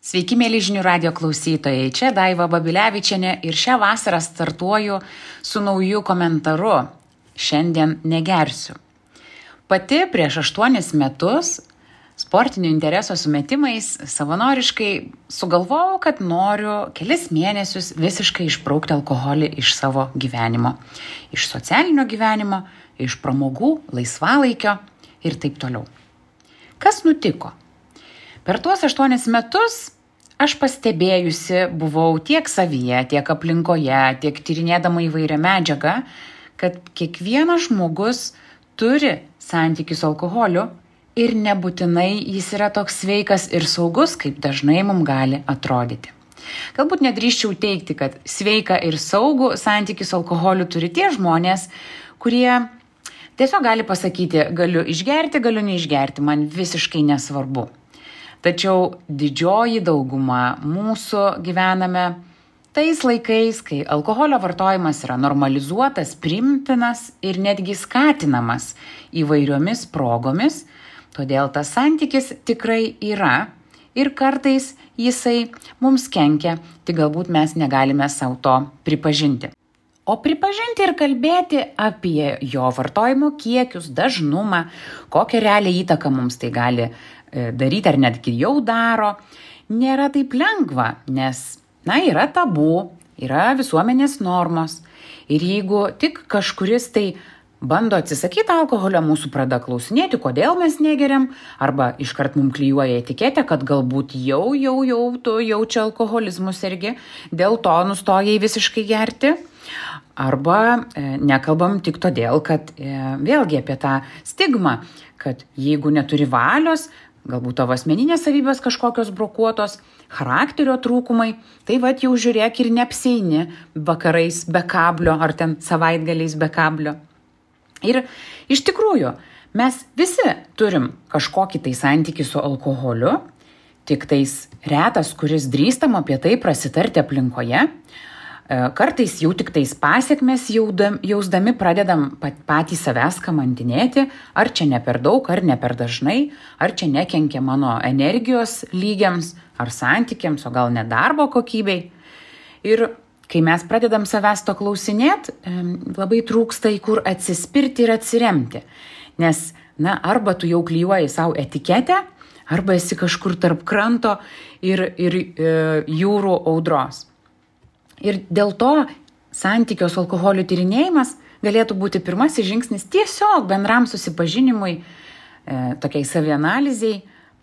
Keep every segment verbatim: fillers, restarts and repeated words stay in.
Sveiki, mėly žinių radio klausytojai. Čia Daiva Babilevičienė ir šią vasarą startuoju su nauju komentaru. Šiandien negersiu. Pati prieš aštuonis metus sportinių interesų sumetimais savanoriškai sugalvojau, kad noriu kelis mėnesius visiškai išbraukti alkoholį iš savo gyvenimo. Iš socialinio gyvenimo, iš pramogų, laisvalaikio ir taip toliau. Kas nutiko? Per tuos aštuonis metus aš pastebėjusi buvau tiek savyje, tiek aplinkoje, tiek tyrinėdama įvairią medžiagą, kad kiekvienas žmogus turi santykių su alkoholiu ir nebūtinai jis yra toks sveikas ir saugus, kaip dažnai mums gali atrodyti. Galbūt nedrįsčiau teigti, kad sveika ir saugų santykių su alkoholiu turi tie žmonės, kurie tiesiog gali pasakyti, galiu išgerti, galiu neišgerti, man visiškai nesvarbu. Tačiau didžioji dauguma mūsų gyvename tais laikais, kai alkoholio vartojimas yra normalizuotas, priimtinas ir netgi skatinamas įvairiomis progomis, todėl tas santykis tikrai yra ir kartais jisai mums kenkia, tik galbūt mes negalime savo to pripažinti. O pripažinti ir kalbėti apie jo vartojimo kiekius, dažnumą, kokią realią įtaką mums tai gali daryti ar netgi jau daro, nėra taip lengva, nes, na, yra tabu, yra visuomenės normos. Ir jeigu tik kažkuris tai bando atsisakyti alkoholio, mūsų pradeda klausinėti, kodėl mes negeriam, arba iškart mums klijuoja etiketę, kad galbūt jau, jau, jau tu jaučia alkoholizmus irgi, dėl to nustojai visiškai gerti. Arba e, nekalbam tik todėl, kad e, vėlgi apie tą stigmą, kad jeigu neturi valios, galbūt tavo asmeninės savybės kažkokios brokuotos, charakterio trūkumai, tai vat jau žiūrėk ir neapsieini vakarais be kablio ar ten savaitgaliais be kablio. Ir iš tikrųjų, mes visi turim kažkokį tai santykį su alkoholiu, tik tais retas, kuris drįstam apie tai prasitarti aplinkoje. Kartais jau tik tais pasiekmes jausdami pradedam patys savęs kamantinėti, ar čia ne per daug, ar ne per dažnai, ar čia nekenkia mano energijos lygiams, ar santykiams, o gal net darbo kokybei. Ir kai mes pradedam savęs to klausinėti, labai trūksta į kur atsispirti ir atsiremti. Nes, na, arba tu jau klijuoji savo etiketę, arba esi kažkur tarp kranto ir, ir e, jūrų audros. Ir dėl to santykio su alkoholiu tyrinėjimas galėtų būti pirmasis žingsnis tiesiog bendram susipažinimui, e, tokiai savianalizei,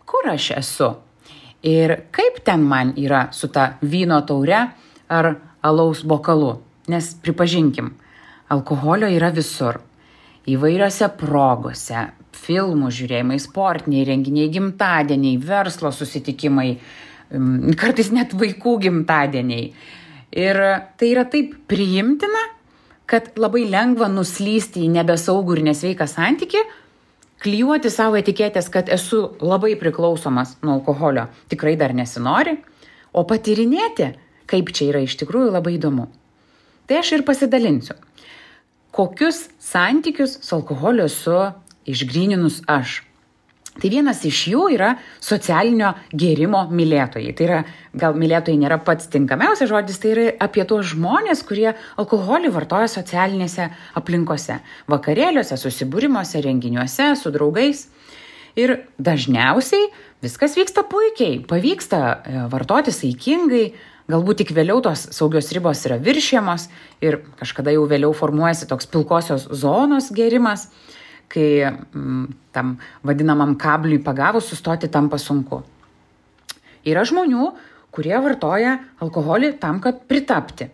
kur aš esu ir kaip ten man yra su ta vyno taure ar alaus bokalu. Nes pripažinkim, alkoholio yra visur, įvairiose progose, filmų žiūrėjimai, sportiniai renginiai, gimtadieniai, verslo susitikimai, kartais net vaikų gimtadieniai. Ir tai yra taip priimtina, kad labai lengva nuslysti į nebesaugų ir nesveiką santykį, klijuoti savo etiketės, kad esu labai priklausomas nuo alkoholio, tikrai dar nesinori, o patyrinėti, kaip čia yra iš tikrųjų labai įdomu. Tai aš ir pasidalinsiu, kokius santykius su alkoholiu esu išgryninus aš. Tai vienas iš jų yra socialinio gėrimo mylėtojai. Tai yra, gal mylėtojai nėra pats tinkamiausias žodis, tai yra apie tuos žmonės, kurie alkoholį vartoja socialinėse aplinkose, vakarėliuose, susibūrimuose, renginiuose, su draugais. Ir dažniausiai viskas vyksta puikiai, pavyksta vartoti saikingai, galbūt tik vėliau tos saugios ribos yra viršijamos ir kažkada jau vėliau formuojasi toks pilkosios zonos gėrimas, kai m, tam vadinamam kabliui pagavus sustoti tampa sunku. Yra žmonių, kurie vartoja alkoholį tam, kad pritapti.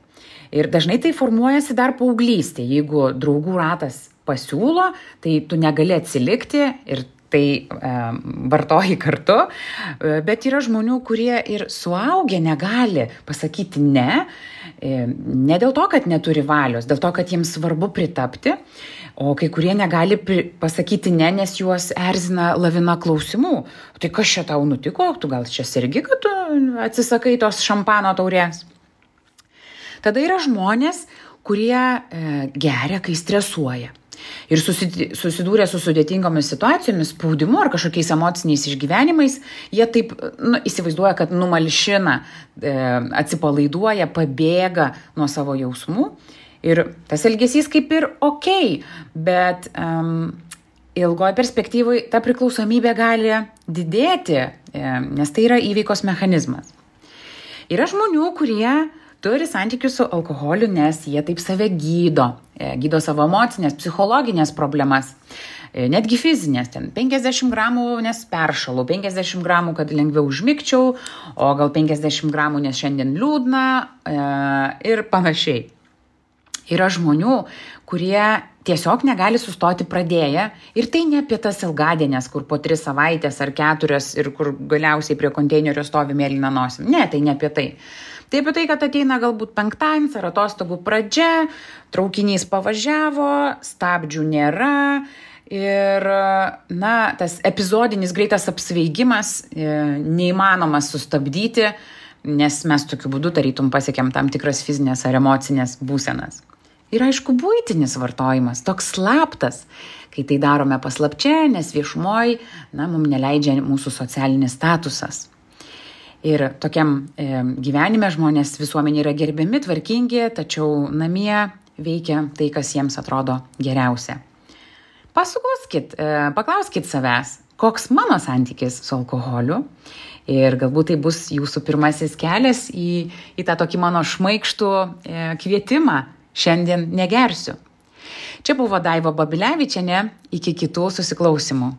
Ir dažnai tai formuojasi dar paauglystė. Jeigu draugų ratas pasiūlo, tai tu negali atsilikti ir tai e, vartoji kartu. Bet yra žmonių, kurie ir suaugę negali pasakyti ne, e, ne dėl to, kad neturi valios, dėl to, kad jiems svarbu pritapti. O kai kurie negali pasakyti ne, nes juos erzina lavina klausimų. Tai kas čia tau nutiko? Tu gal čia sergi, kad tu atsisakai tos šampano taurės? Tada yra žmonės, kurie e, geria, kai stresuoja. ir susi- susidūrę su sudėtingomis situacijomis, spaudimu ar kažkokiais emociniais išgyvenimais, jie taip nu, įsivaizduoja, kad numalšina, e, atsipalaiduoja, pabėga nuo savo jausmų. Ir tas elgesys kaip ir ok, bet um, ilgoje perspektyvoje ta priklausomybė gali didėti, e, nes tai yra įveikos mechanizmas. Yra žmonių, kurie turi santykius su alkoholiu, nes jie taip save gydo, e, gydo savo emocinės, psichologinės problemas, e, netgi fizinės, ten penkiasdešimt gramų, nes peršalau, penkiasdešimt gramų, kad lengviau užmigčiau, o gal penkiasdešimt gramų, nes šiandien liūdna e, ir panašiai. Yra žmonių, kurie tiesiog negali sustoti pradėję ir tai ne apie tas ilgadienės, kur po tris savaitės ar keturias ir kur galiausiai prie konteinerio stovi mėlyna nosim. Ne, tai ne apie tai. Tai apie tai, kad ateina galbūt penktadienis ar atostogų pradžia, traukinys pavažiavo, stabdžių nėra ir na, tas epizodinis greitas apsvaigimas e, neįmanomas sustabdyti, nes mes tokiu būdu tarytum pasiekėm tam tikras fizinės ar emocinės būsenas. Ir aišku, buitinis vartojimas, toks slaptas, kai tai darome paslapčia, nes viešumoj, na, mums neleidžia mūsų socialinis statusas. Ir tokiam e, gyvenime žmonės visuomenė yra gerbiami, tvarkingi, tačiau namie veikia tai, kas jiems atrodo geriausia. Pasukoskit, e, paklauskit savęs, koks mano santykis su alkoholiu. Ir galbūt tai bus jūsų pirmasis kelias į, į tą tokį mano šmaikštų e, kvietimą. Šiandien negersiu. Čia buvo Daiva Babilevičienė, iki kitų susiklausimų.